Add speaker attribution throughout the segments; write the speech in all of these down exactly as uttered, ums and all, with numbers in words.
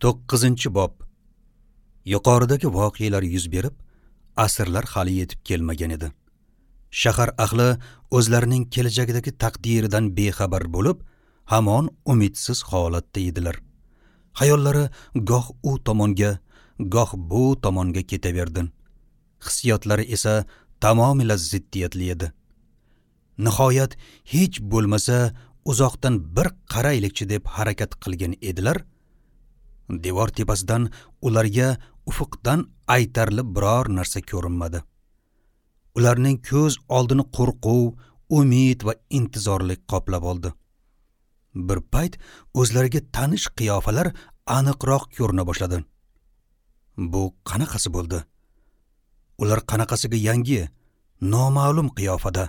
Speaker 1: To'qqizinchi bob. Yuqoridagi voqealar yuz berib, asrlar hali yetib kelmagan edi. Shahar ahli o'zlarining kelajagidagi taqdiridan bexabar bo'lib, hamon umidsiz holatda edilar. Xayollari goh u tomonga, goh bu tomonga ketaverdi. Hissiyotlari esa tamomila ziddiyatli edi. Nihoyat hech bo'lmasa uzoqdan bir qaraylikchi deb harakat qilgan edilar. Devor tepasidan ularga ufuqdan aytarli biror narsa ko'rinmadi. Ularning ko'z oldini qo'rquv, umid va intizorlik qoplab oldi. Bir payt o'zlariga tanish qiyofalar aniqroq ko'rina boshladi. Bu qanaqasi bo'ldi? Ular qanaqasiga yangi, noma'lum qiyofada.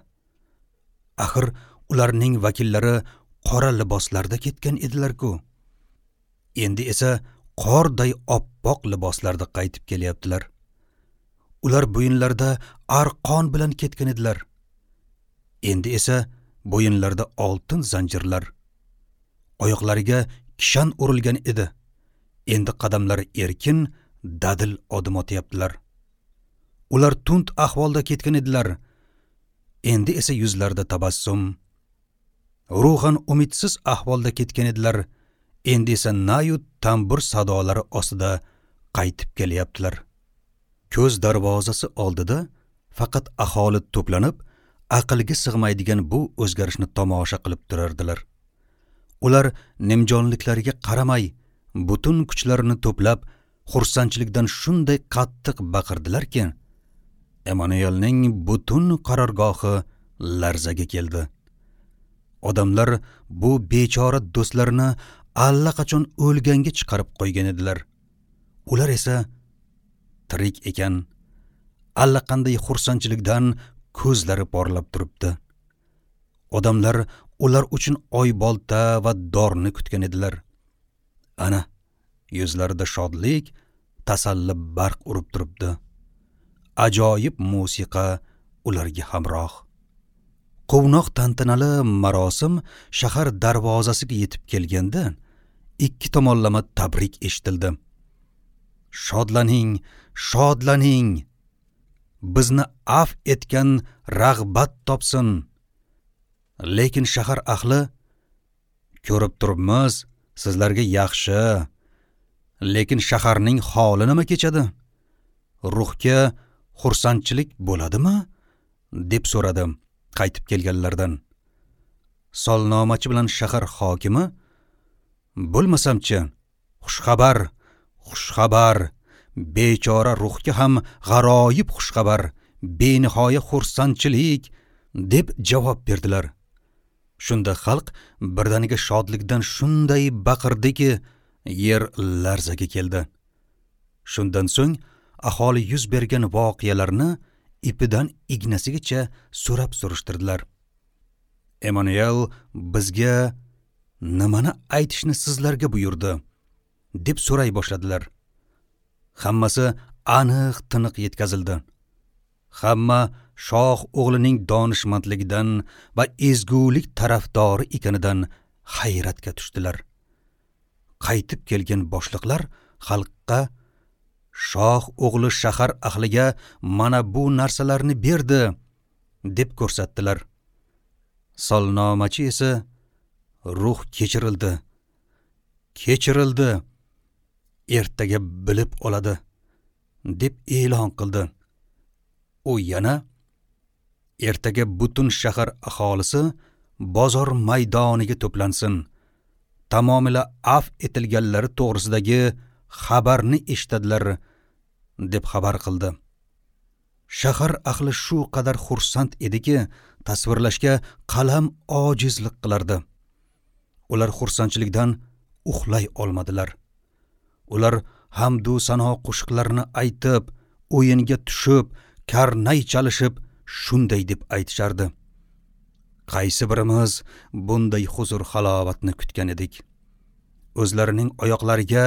Speaker 1: Axir ularning vakillari qora liboslarda ketgan edilar-ku. Endi esa qorday oppoq liboslarda qaytib kelyaptilar. Ular bo'yinlarda arqon bilan ketgan edilar. Endi esa bo'yinlarda oltin zanjirlar. Oyoqlariga kishan urilgan edi. Endi qadamlari erkin, dadil odim otyaptilar. Ular tund ahvolda ketgan edilar. Endi esa yuzlarida tabassum. Ruhan umidsiz ahvolda ketgan edilar. Endi esa nayu tambur sadolari ostida qaytib kelyaptilar. Ko'z darvozasi oldida faqat aholi to'planib, aqlga sig'maydigan bu o'zgarishni tomosha qilib turardilar. Ular nimjonliklariga qaramay, butun kuchlarini to'plab, xursandchilikdan shunday qattiq baqirdilarki, Emanuelning butun qarorgohi larzaga keldi. Odamlar bu bechora do'stlarini allaqachon o'lganga chiqarib qo'ygan edilar. Ular esa tirik ekan, allaqanday xursandchilikdan ko'zlari porlab turibdi. Odamlar ular uchun oybolta va dorni kutgan edilar. Ana, yuzlarida shodlik, tasalli barq urib turibdi. Ajoyib musiqa ularga hamroh. Quvnoq tantanali marosim shahar darvozasiga yetib kelganda ikki tomonlama tabrik eshitildi. Shodlaning, shodlaning! Bizni af etgan rag'bat topsin. Lekin shahar ahli, ko'rib turibmiz, sizlarga yaxshi. Lekin shaharning holi nima kechadi? Ruhga xursandchilik bo'ladimi? Deb so'radi qaytib kelganlardan. Solnomachi bilan shahar hokimi, bo'lmasamchi, xushxabar, xushxabar, bechora ruhga ham g'aroyib xushxabar, benihoya xursandchilik deb javob berdilar. Shunda xalq birdaniga shodlikdan shunday baqirdiki, yer larzaga keldi. Shundan so'ng aholi yuz bergan voqealarni ipidan ignasigacha so'rab surishtirdilar. Emanuel bizga nimani aytishni sizlarga buyurdi, deb so'ray boshladilar. Hammasi aniq tiniq yetkazildi. Hamma shoh o'g'lining donishmandligidan va ezgulik tarafdori ekanidan hayratga tushdilar. Qaytib kelgan boshliqlar xalqqa shoh o'g'li shahar ahliga mana bu narsalarni berdi, deb ko'rsatdilar. Solnomachi esa ruh kechirildi, kechirildi, ertaga bilib oladi, deb e'lon qildi. U yana ertaga butun shahar aholisi bozor maydoniga to'plansin, tamomila af etilganlari to'g'risidagi xabarni eshitadilar, deb xabar qildi. Shahar ahli shu qadar xursand ediki, tasvirlashga qalam ojizlik qilardi. Ular xursandchilikdan uxlay olmadilar. Ular hamdu sano qo'shiqlarini aytib, o'yinga tushib, karnay chalishib shunday deb aytishardi: Qaysi birimiz bunday huzur halovatni kutgan edik? O'zlarining oyoqlariga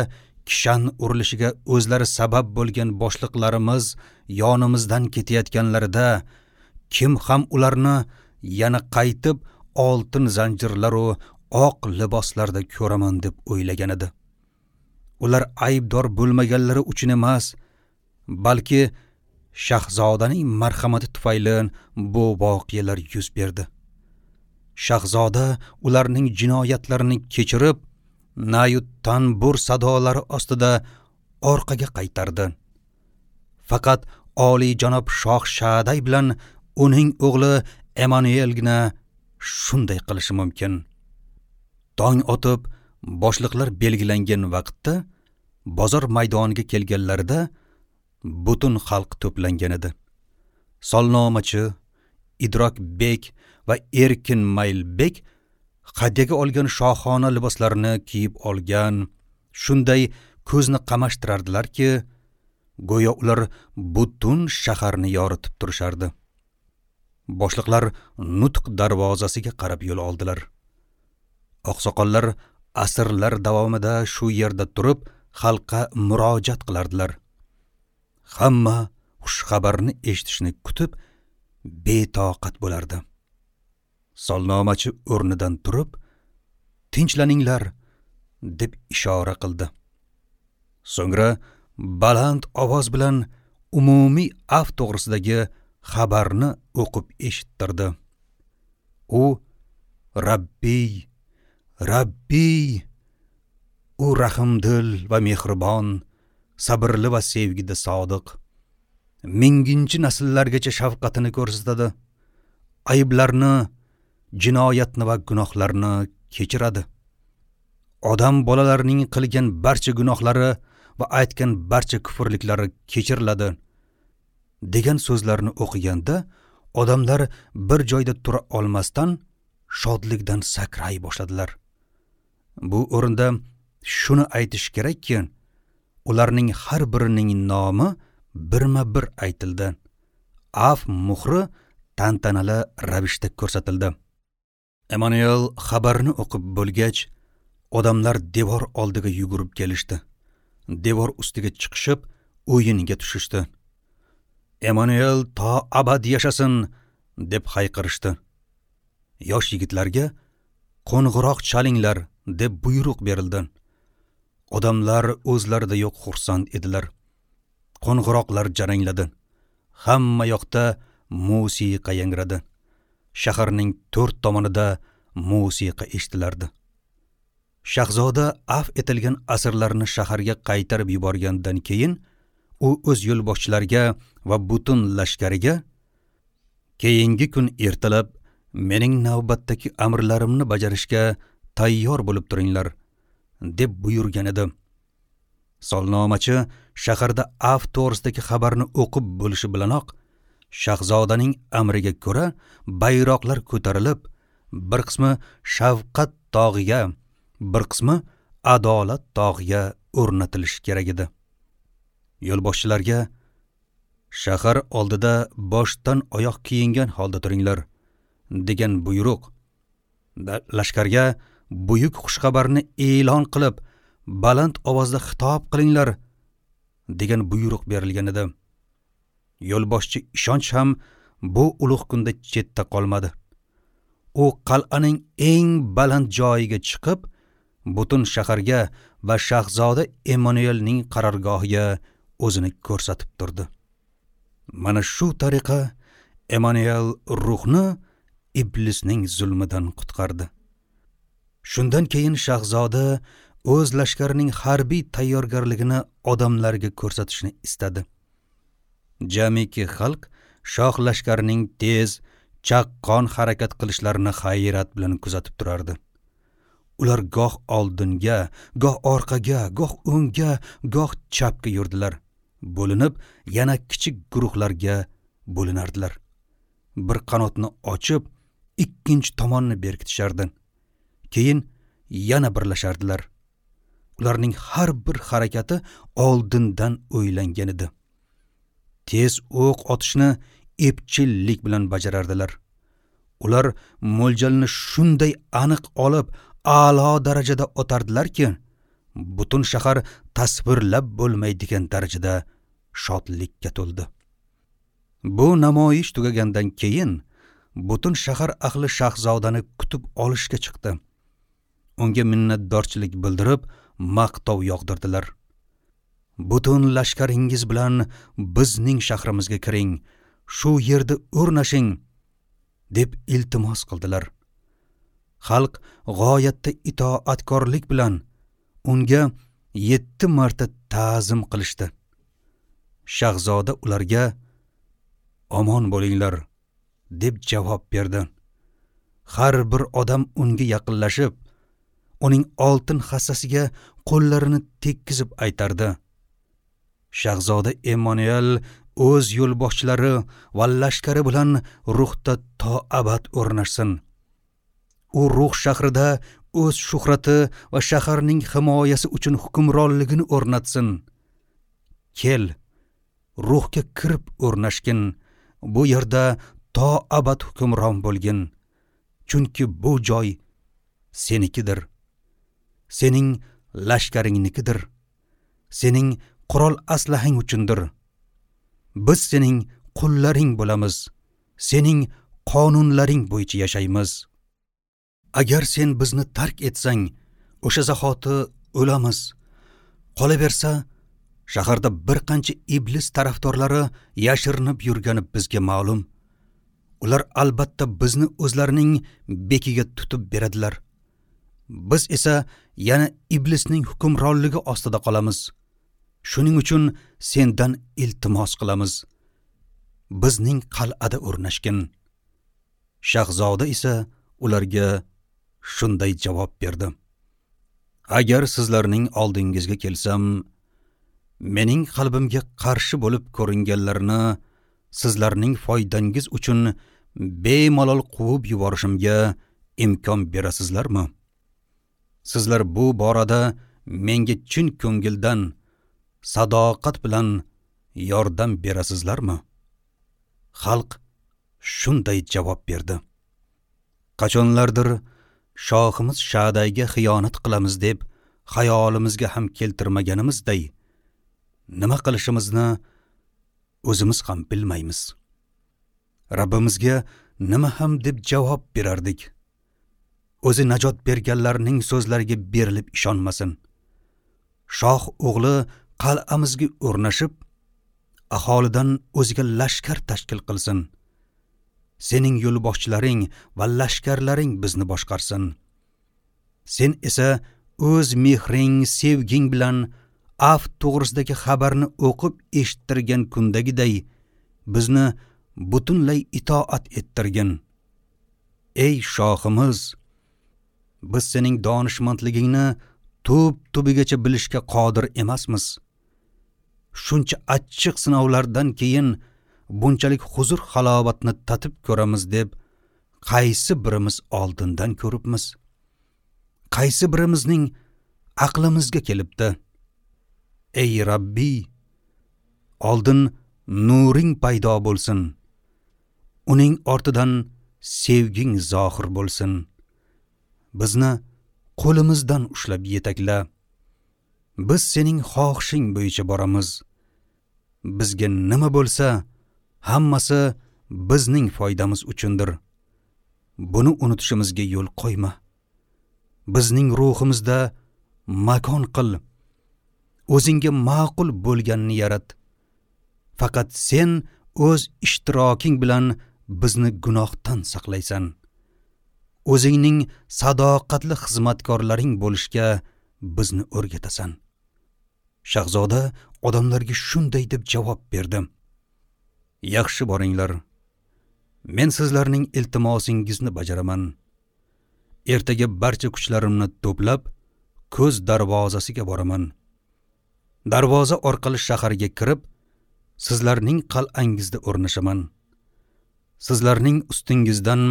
Speaker 1: kishan urilishiga o'zlari sabab bo'lgan boshliqlarimiz yonimizdan ketayotganlarida kim ham ularni yana qaytib oltin zanjirlar va oq liboslarda ko'raman deb o'ylagan edi. Ular aybdor bo'lmaganlari uchun emas, balki shahzodaning marhamati tufayli bu voqealar yuz berdi. Shahzoda ularning jinoyatlarini kechirib, nayut tanbur sadolari ostida orqaga qaytardi. Faqat oliyjanob shoh Shaday bilan uning o'g'li Emanuelgina shunday qilishi mumkin. Tong otib, boshliqlar belgilangan vaqtda bozor maydoniga kelganlarida butun xalq to'plangan edi. Solnomachi Idrok bek va Erkin Maylbek hadyaga olgan shohona liboslarini kiyib olgan, shunday ko'zni qamashtirardilarki, go'yo ular butun shaharni yoritib turishardi. Boshliqlar nutq darvozasiga qarab yo'l oldilar. Oqsoqollar asrlar davomida shu yerda turib, xalqqa murojaat qilardilar. Hamma xushxabarni eshitishni kutib, betoqat bo'lardi. Solnomachi o'rnidan turib, "Tinchlaninglar" deb ishora qildi. So'ngra baland ovoz bilan umumiy af to'g'risidagi xabarni o'qib eshittirdi. U Rabbiy, Rabbiy, u rahimdil va mehribon, sabrli va sevgida sodiq, minginchi nasllargacha shafqatini ko'rsatadi, ayblarni, jinoyatni va gunohlarni kechiradi. Odam bolalarining qilgan barcha gunohlari va aytgan barcha kufrliklari kechiriladi degan so'zlarni o'qiganda odamlar bir joyda tura olmasdan shodlikdan sakray boshladilar. Bu o'rinda shuni aytish kerakki, ularning har birining nomi birma-bir aytildi. Af muhri tantanali ravishda ko'rsatildi. Emanuel xabarni o'qib bo'lgach, odamlar devor oldiga yugurib kelishdi. Devor ustiga chiqishib, o'yinga tushishdi. Emanuel to abad yashasin deb hayqirishdi. Yosh yigitlarga qo'ng'iroq chalinglar deb buyruq berildi. Odamlar o'zlarida yo'q xursand edilar. Qo'ng'iroqlar jarangladi. Hamma yoqda musiqa yangradi. Shaharning to'rt tomonida musiqa eshitilardi. Shahzoda af etilgan asirlarni shaharga qaytarib yuborgandan keyin u o'z yo'lboshchilariga va butun lashkariga keyingi kun ertalab mening navbatdagi amrlarimni bajarishga tayyor bo'lib turinglar deb buyurgan edi. Solnomachi shaharda af to'g'risidagi xabarni o'qib bo'lishi bilanoq shahzodaning amriga ko'ra bayroqlar ko'tarilib, bir qismi shafqat tog'iga, bir qismi adolat tog'iga o'rnatilishi kerak edi. Yo'lboshchilarga shahar oldida boshdan oyoq kiyingan holda turinglar degan buyruq, lashkarga buyuk xushxabarni e'lon qilib, baland ovozda xitob qilinglar degan buyruq berilgan edi. Yo'lboshchi ishonch ham bu ulug' kunda chetda qolmadi. U qal'aning eng baland joyiga chiqib, butun shaharga va shahzoda Emanuelning qarorgohiga o'zini ko'rsatib turdi. Mana shu tariqa Emanuel ruhni iblisning zulmidan qutqardi. Shundan keyin shahzoda o'z lashkarining harbiy tayyorgarligini odamlarga ko'rsatishni istadi. Jamiki xalq shoh lashkarining tez, chaqqon harakat qilishlarini hayrat bilan kuzatib turardi. Ular goh oldinga, goh orqaga, goh o'ngga, goh chapga yurdilar. Bo'linib, yana kichik guruhlarga bo'linardilar. Bir qanotni ochib, ikkinchi tomonni berkitishardi. Keyin yana birlashardilar. Ularning har bir harakati oldindan o'ylangan edi. Tez o'q otishni epchillik bilan bajarardilar. Ular mo'ljalni shunday aniq olib, a'lo darajada otardilarki, butun shahar tasvirlab bo'lmaydigan darajada shodlikka to'ldi. Bu namoyish tugagandan keyin butun shahar ahli shahzodani kutib olishga chiqdi. Unga minnatdorchilik bildirib, maqtov yog'dirdilar. Butun lashkaringiz bilan bizning shahrimizga kiring, shu yerda o'rnashing, deb iltimos qildilar. Xalq g'oyatda itoatkorlik bilan unga yetti marta ta'zim qilishdi. Shahzoda ularga: "Omon bo'linglar", deb javob berdi. Har bir odam unga yaqinlashib, uning oltin hassasiga qo'llarini tekkizib aytardi. Shahzoda Emmanuel o'z yo'lboshchilari va lashkari bilan Ruhda to abad o'rnashsin. U Ruh shahrida o'z shuhrati va shaharning himoyasi uchun hukmronligini o'rnatsin. Kel, Ruhga kirib o'rnashgin, bu yerda to abad hukmron bo'lgin. Chunki bu joy senikidir, sening lashkaringnikidir, sening qurol aslahang uchundir. Biz sening qullaring bo'lamiz, sening qonunlaring bo'yicha yashaymiz. Agar sen bizni tark etsang, o'sha zahoti o'lamiz. Qolaversa, shaharda bir qancha iblis tarafdorlari yashirinib yurgani bizga ma'lum. Ular albatta bizni o'zlarining bekiga tutib beradilar. Biz esa yana iblisning hukmronligi ostida qolamiz. Shuning uchun sendan iltimos qilamiz. Bizning qal'ada o'rnashgin. Shahzoda esa ularga shunday javob berdi: Agar sizlarning oldingizga kelsam, mening qalbimga qarshi bo'lib ko'ringanlarni sizlarning foydangiz uchun bemalol quvib yuborishimga imkon berasizlarmi? Sizlar bu borada menga chin ko'ngildan, sadoqat bilan yordam berasizlarmi? Xalq shunday javob berdi: Qachonlardir shohimiz Shadayga xiyonat qilamiz deb xayolimizga ham keltirmaganimizday, nima qilishimizni o'zimiz ham bilmaymiz. Rabbimizga nima ham deb javob berardik? O'zi najot berganlarning so'zlariga berilib ishonmasin. Shoh o'g'li qal'amizga o'rnashib, aholidan o'ziga lashkar tashkil qilsin. Sening yo'lboshchilaring va lashkarlaring bizni boshqarsin. Sen esa o'z mehring, sevging bilan af to'g'risidagi xabarni o'qib eshittirgan kundagiday bizni butunlay itoat ettirgin. Ey shohimiz, biz sening donishmandligingni tub tubigacha bilishga qodir emasmiz. Shuncha achchiq sinovlardan keyin bunchalik huzur halovatni tatib ko'ramiz deb qaysi birimiz oldindan ko'ribmiz? Qaysi birimizning aqlimizga kelibdi? Ey Rabbi, oldin nuring paydo bo'lsin. Uning ortidan sevging zohir bo'lsin. Bizni qo'limizdan ushlab yetakla. Biz sening xohishing bo'yicha boramiz. Bizga nima bo'lsa, hammasi bizning foydamiz uchundir. Buni unutishimizga yo'l qo'yma. Bizning ruhimizda makon qil. O'zingga ma'qul bo'lganini yarat. Faqat sen o'z ishtiroking bilan bizni gunohdan saqlaysan. O'zingning sadoqatli xizmatkorlaring bo'lishga bizni o'rgatasan. Shahzoda odamlarga shunday deb javob berdi: Yaxshi boringlar. Men sizlarning iltimosingizni bajaraman. Ertaga barcha kuchlarimni to'plab, ko'z darvozasiga boraman. Darvoza orqali shaharga kirib, sizlarning qal'angizda o'rnashaman. Sizlarning ustingizdan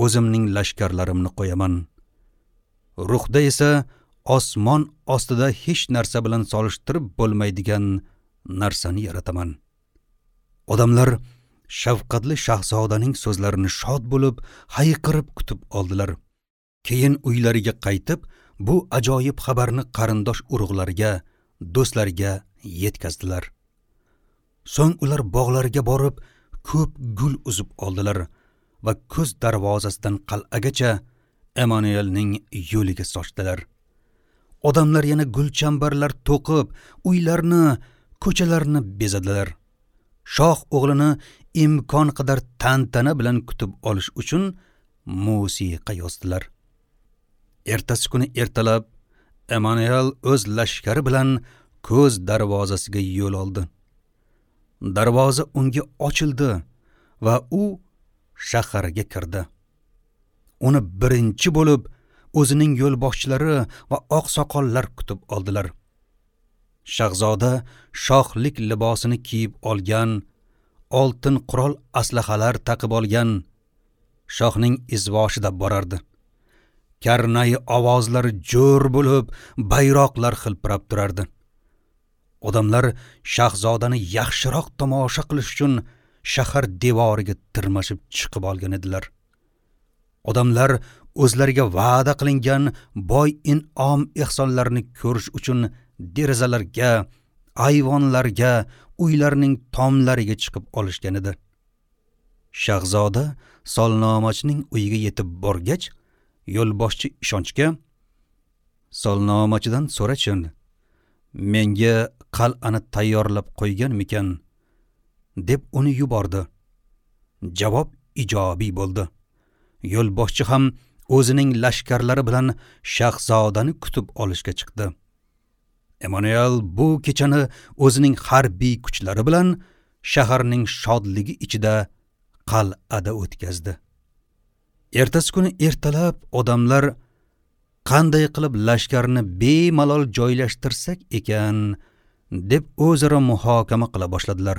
Speaker 1: o'zimning lashkarlarimni qo'yaman. Ruhda esa osmon ostida hech narsa bilan solishtirib bo'lmaydigan narsani yarataman. Odamlar shafqatli shahzodaning so'zlarini shod bo'lib, hayqirib kutib oldilar. Keyin uylariga qaytib, bu ajoyib xabarni qarindosh urug'lariga, do'stlariga yetkazdilar. So'ng ular bog'larga borib, ko'p gul uzib oldilar va ko'z darvozasidan qal'agacha Emmanuelning yo'liga sochdilar. Odamlar yana gulchambarlar to'qib, uylarni, ko'chalarni bezadilar. Shoh o'g'lini imkon qadar tantana bilan kutib olish uchun musiqa yozdilar. Ertasi kuni ertalab Emanuel o'z lashkari bilan ko'z darvozasiga yo'l oldi. Darvoza unga ochildi va u shaharga kirdi. Uni birinchi bo'lib o'zining yo'lboshchilari va oqsoqollar kutib oldilar. Shahzoda shohlik libosini kiyib olgan, oltin qurol aslahalar taqib olgan, shohning izvoshida borardi. Karnay ovozlari jo'r bo'lib, bayroqlar xilpirab turardi. Odamlar shahzodani yaxshiroq tomosha qilish uchun shahar devoriga tirmashib chiqib olgan edilar. Odamlar o'zlariga va'da qilingan boy in'om ehsonlarni ko'rish uchun derazalarga, ayvonlarga, uylarning tomlariga chiqib olishgan edi. Shahzoda solnomachining uyiga yetib borgach, yo'lboshchi ishonchga solnomachidan so'rachin, menga qal'ani tayyorlab qo'yganmikan, deb uni yubordi. Javob ijobiy bo'ldi. Yo'lboshchi ham o'zining lashkarlari bilan shahzodani kutib olishga chiqdi. Emanuel bu kechani o'zining harbiy kuchlari bilan shaharning shodligi ichida qal'ada o'tkazdi. Ertasi kuni ertalab odamlar qanday qilib lashkarni bemalol joylashtirsak ekan deb o'zaro muhokama qila boshladilar.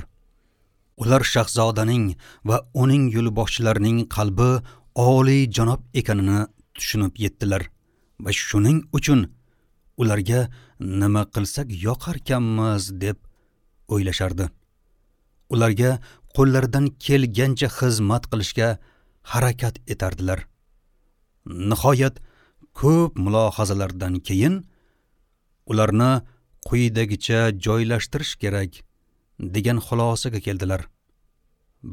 Speaker 1: Ular shahzodaning va uning yo'lboshchilarining qalbi oliy janob ekanini tushunib yetdilar va shuning uchun ularga nima qilsak yoqarkanmiz deb o'ylashardi. Ularga qo'llaridan kelgancha xizmat qilishga harakat etardilar. Nihoyat ko'p mulohazalardan keyin ularni quyidagicha joylashtirish kerak degan xulosaga keldilar.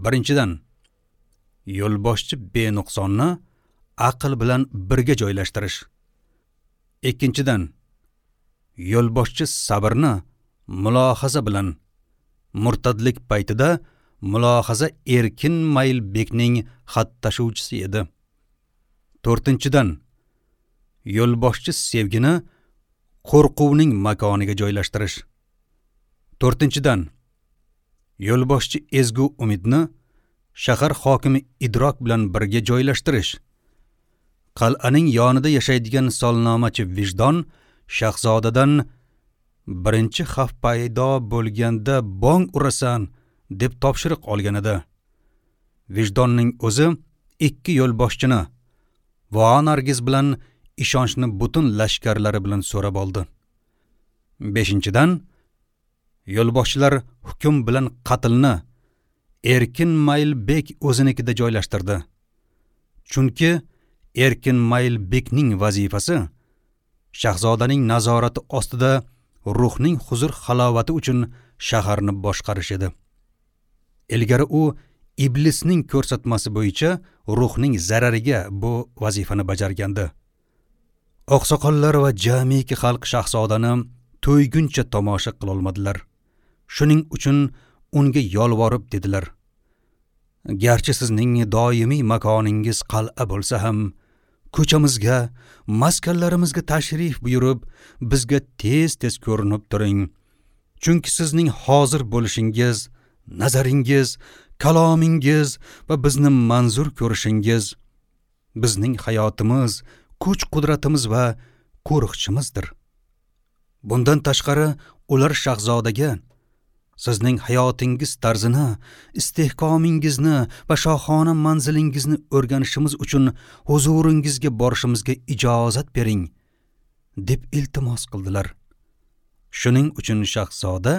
Speaker 1: Birinchidan, yo'lboshchi benuqsonni aql bilan birga joylashtirish. Ikkinchidan, yo'lboshchi sabrni mulohaza bilan, murtadlik paytida mulohaza Erkin Maylbekning xat tashuvchisi edi. To'rtinchidan, yo'lboshchi sevgini qo'rquvning makoniga joylashtirish. To'rtinchidan, yo'lboshchi ezgu umidni shahar hokimi Idrok bilan birga joylashtirish. Qal'aning yonida yashaydigan solnomachi Vijdon shahzodadan birinchi xavf paydo bo'lganda bong urasan deb topshiriq olgan edi. Vijdonning o'zi ikki yo'lboshchini Voanargiz bilan ishonchni butun lashkarlari bilan so'rab oldi. Beshinchidan, yo'lboshchilar hukm bilan qatlni Erkin Maylbek o'zinikida joylashtirdi. Chunki Erkin Maylbekning vazifasi shahzodaning nazorati ostida ruhning huzur halovati uchun shaharni boshqarish edi. Ilgari u iblisning ko'rsatmasi bo'yicha ruhning zarariga bu vazifani bajargandi. Oqsoqollar va jamiki xalq shahzodani to'yguncha tomosha qila olmadilar. Shuning uchun unga yolvorib dedilar: garchi sizning doimiy makoningiz qal'a bo'lsa ham, ko'chamizga, maskanlarimizga tashrif buyurib, bizga tez-tez ko'rinib turing. Chunki sizning hozir bo'lishingiz, nazaringiz, kalomingiz va bizni manzur ko'rishingiz bizning hayotimiz, kuch-qudratimiz va qo'riqchimizdir. Bundan tashqari ular shahzodaga sizning hayotingiz tarzini, istehkomingizni va shohona manzilingizni o'rganishimiz uchun huzuringizga borishimizga ijozat bering deb iltimos qildilar. Shuning uchun shahzoda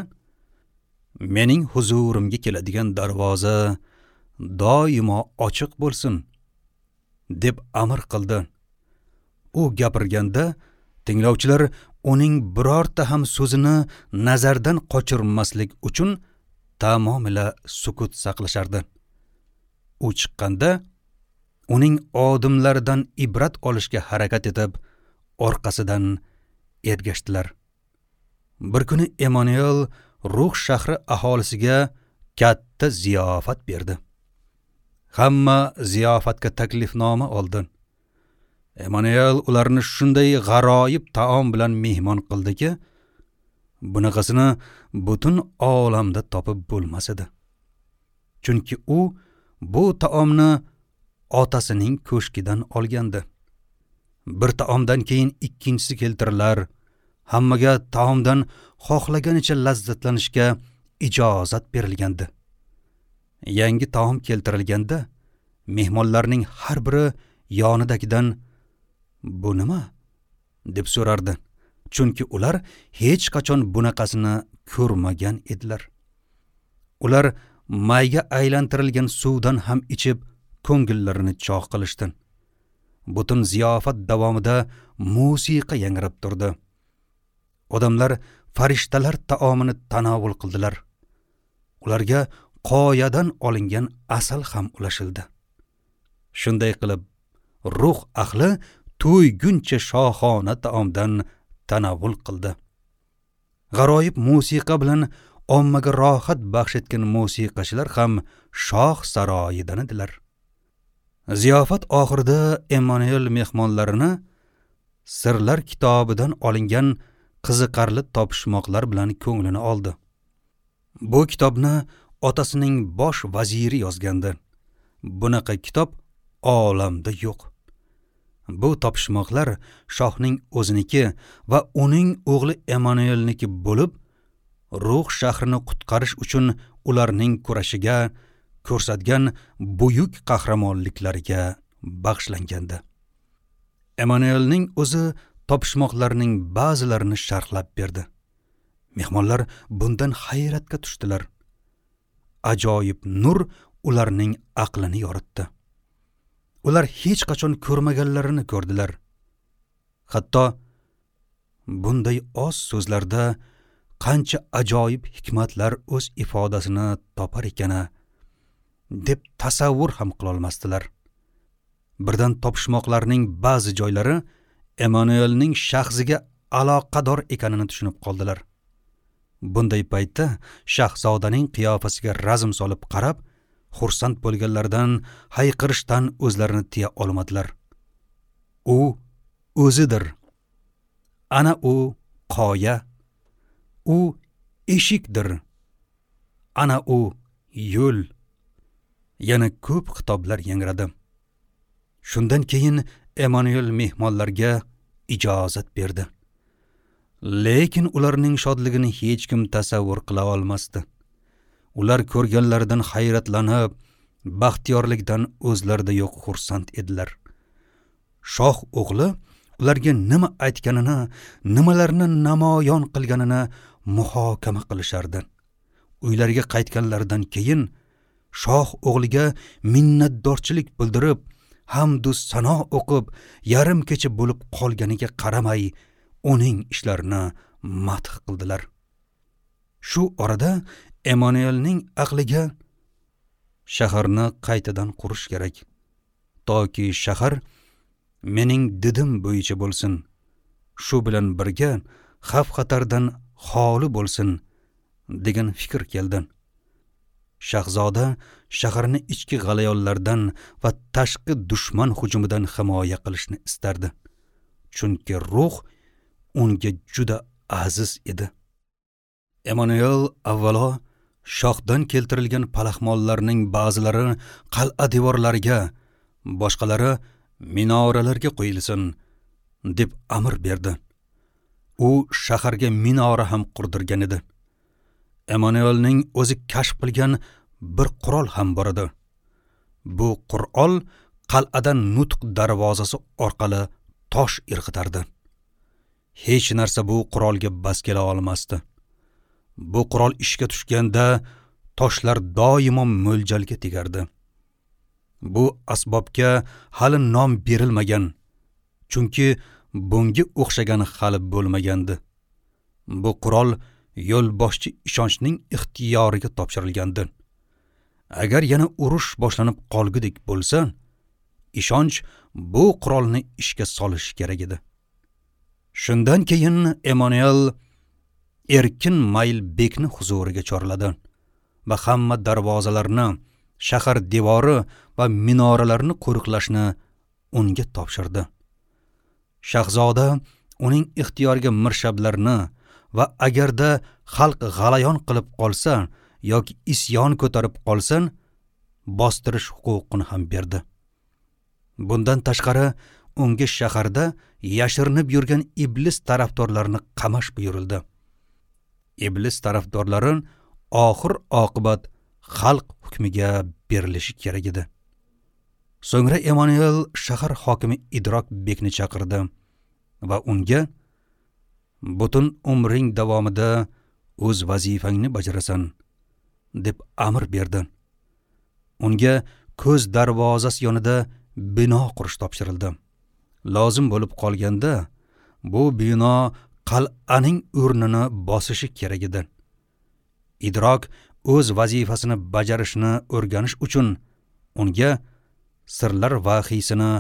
Speaker 1: mening huzurimga keladigan darvoza doimo ochiq bo'lsin deb amr qildi. U gapirganda tinglovchilar uning birorta ham so'zini nazardan qochirmaslik uchun tamomila sukut saqlashardi. U chiqqanda uning odimlaridan ibrat olishga harakat etib, orqasidan ergashdilar. Bir kuni Emanuel Ruh shahri aholisiga katta ziyofat berdi. Hamma ziyofatga taklifnoma oldi. Emanuel ularni shunday g'aroyib taom bilan mehmon qildiki, bunaqasini butun olamda topib bo'lmas edi. Chunki u bu taomni otasining ko'shkidan olgandi. Bir taomdan keyin ikkinchisi keltirilar. Hammaga taomdan xohlaganicha lazzatlanishga ijozat berilgandi. Yangi taom keltirilganda mehmonlarning har biri yonidagidan "Bu nima?" deb so'rardi. Chunki ular hech qachon bunaqasini ko'rmagan edilar. Ular mayga aylantirilgan suvdan ham ichib ko'ngillarini chog' qilishdi. Butun ziyofat davomida musiqa yangrab turdi. Odamlar farishtalar taomini tanovul qildilar. Ularga qoyadan olingan asal ham ulashildi. Shunday qilib, ruh ahli to'yguncha shohona taomdan tanovul qildi. G'aroyib musiqa bilan ommaga rohat baxsh etgan musiqachilar ham shoh saroyidan edilar. Ziyofat oxirida Emanuel mehmonlarini Sirlar kitobidan olingan qiziqarli topishmoqlar bilan ko'nglini oldi. Bu kitobni otasining bosh vaziri yozgandi. Bunaqa kitob olamda yo'q. Bu topishmoqlar shohning o'ziniki va uning o'g'li Emanuelniki bo'lib, Ruh shahrini qutqarish uchun ularning kurashiga ko'rsatgan buyuk qahramonliklariga bag'ishlangandi. Emanuelning o'zi topishmoqlarning ba'zilarini sharhlab berdi. Mehmonlar bundan hayratga tushdilar. Ajoyib nur ularning aqlini yoritdi. Ular hech qachon ko'rmaganlarini ko'rdilar. Hatto bunday oz so'zlarda qancha ajoyib hikmatlar o'z ifodasini topar ekana deb tasavvur ham qila olmasdilar. Birdan topishmoqlarning ba'zi joylari Emanuelning shaxsiga aloqador ekanini tushunib qoldilar. Bunday paytda shahzodaning qiyofasiga razm solib qarab, xursand bo'lganlardan hayqirishdan o'zlarini tiya olmadilar. U o'zidir. Ana u qoya. U eshikdir. Ana u yo'l. Yana ko'p xitoblar yangradi. Shundan keyin Emanuel mehmonlarga ijozat berdi. Lekin ularning shodligini hech kim tasavvur qila olmasdi. Ular ko'rganlaridan hayratlanib, baxtiyorlikdan o'zlarida yo'q xursand edilar. Shoh o'g'li ularga nima aytganini, nimalarni namoyon qilganini muhokama qilishardi. Uylariga qaytganlaridan keyin shoh o'g'liga minnatdorchilik bildirib, hamd u sano o'qib, yarim kecha bo'lib qolganiga qaramay, uning ishlarini madh qildilar. Shu orada Emanuelning aqliga shaharni qaytadan qurish kerak, toki shahar mening didim bo'yicha bo'lsin, shu bilan birga xavf-xatardan xoli bo'lsin degan fikr keldi. Shahzoda shaharni ichki g'alayonlardan va tashqi dushman hujumidan himoya qilishni istardi. Chunki ruh unga juda aziz edi. Emanuel avvalo shohdan keltirilgan palaxmonlarning ba'zilari qal'a devorlariga, boshqalari minoralarga qo'yilsin deb amr berdi. U shaharga minora ham qurdirgan edi. Emanuelning o'zi kashf qilgan bir qurol ham bor edi. Bu qurol qal'adan nutq darvozasi orqali tosh irg'itardi. Hech narsa bu qurolga bas kela olmasdi. Bu qurol ishga tushganda toshlar doimo mo'ljalga tegardi. Bu asbobga hali nom berilmagan, chunki bunga o'xshagani hali bo'lmagandi. Bu qurol yo'lboshchi ishonchning ixtiyoriga topshirilgandi. Agar yana urush boshlanib qolgudek bo'lsa, ishonch bu qurolni ishga solishi kerak edi. Shundan keyin Emanuel Erkin Maylbekni huzuriga chorladi va hamma darvozalarni, shahar devori va minoralarni qo'riqlashni unga topshirdi. Shahzoda uning ixtiyoriga mirshablarni va agarda xalq g'alayon qilib qolsa yoki isyon ko'tarib qolsa, bostirish huquqini ham berdi. Bundan tashqari unga shaharda yashirinib yurgan iblis tarafdorlarini qamash buyurildi. Iblis tarafdorlari oxir oqibat xalq hukmiga berilishi kerak edi. So'ngra Emanuel shahar hokimi Idrok bekni chaqirdi va unga butun umring davomida o'z vazifangni bajarasan deb amr berdi. Unga ko'z darvozasi yonida bino qurish topshirildi. Lozim bo'lib qolganda bu bino qal'aning o'rnini bosishi kerak edi. Idrok o'z vazifasini bajarishni o'rganish uchun unga sirlar vahiysini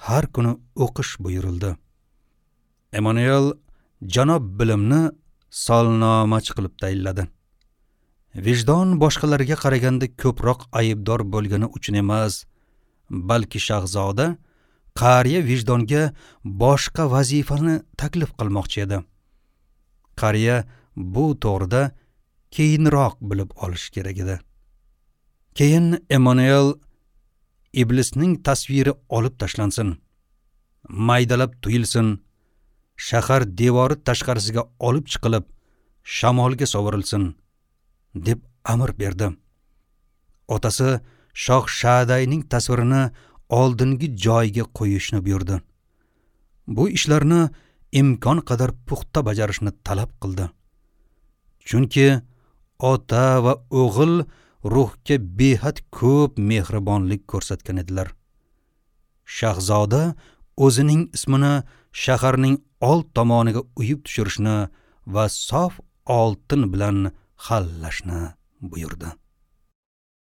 Speaker 1: har kuni o'qish buyurildi. Emanuel janob bilimni solnomachi qilib tayinladi. Vijdon boshqalarga qaraganda ko'proq aybdor bo'lgani uchun emas, balki shahzoda qariya vijdonga boshqa vazifani taklif qilmoqchi edi. Qariya bu to'g'rida keyinroq bilib olish kerak edi. Keyin Emanuel iblisning tasviri olib tashlansin, maydalab tuyilsin, shahar devori tashqarisiga olib chiqilib, shamolga sovurilsin deb amr berdi. Otasi Shoh Shadayning tasvirini oldingi joyiga qo'yishni buyurdi. Bu ishlarni imkon qadar puxta bajarishni talab qildi. Chunki ota va o'g'il ruhga behad ko'p mehribonlik ko'rsatgan edilar. Shahzoda o'zining ismini shaharning old tomoniga uyib tushirishni va sof oltin bilan xallashni buyurdi.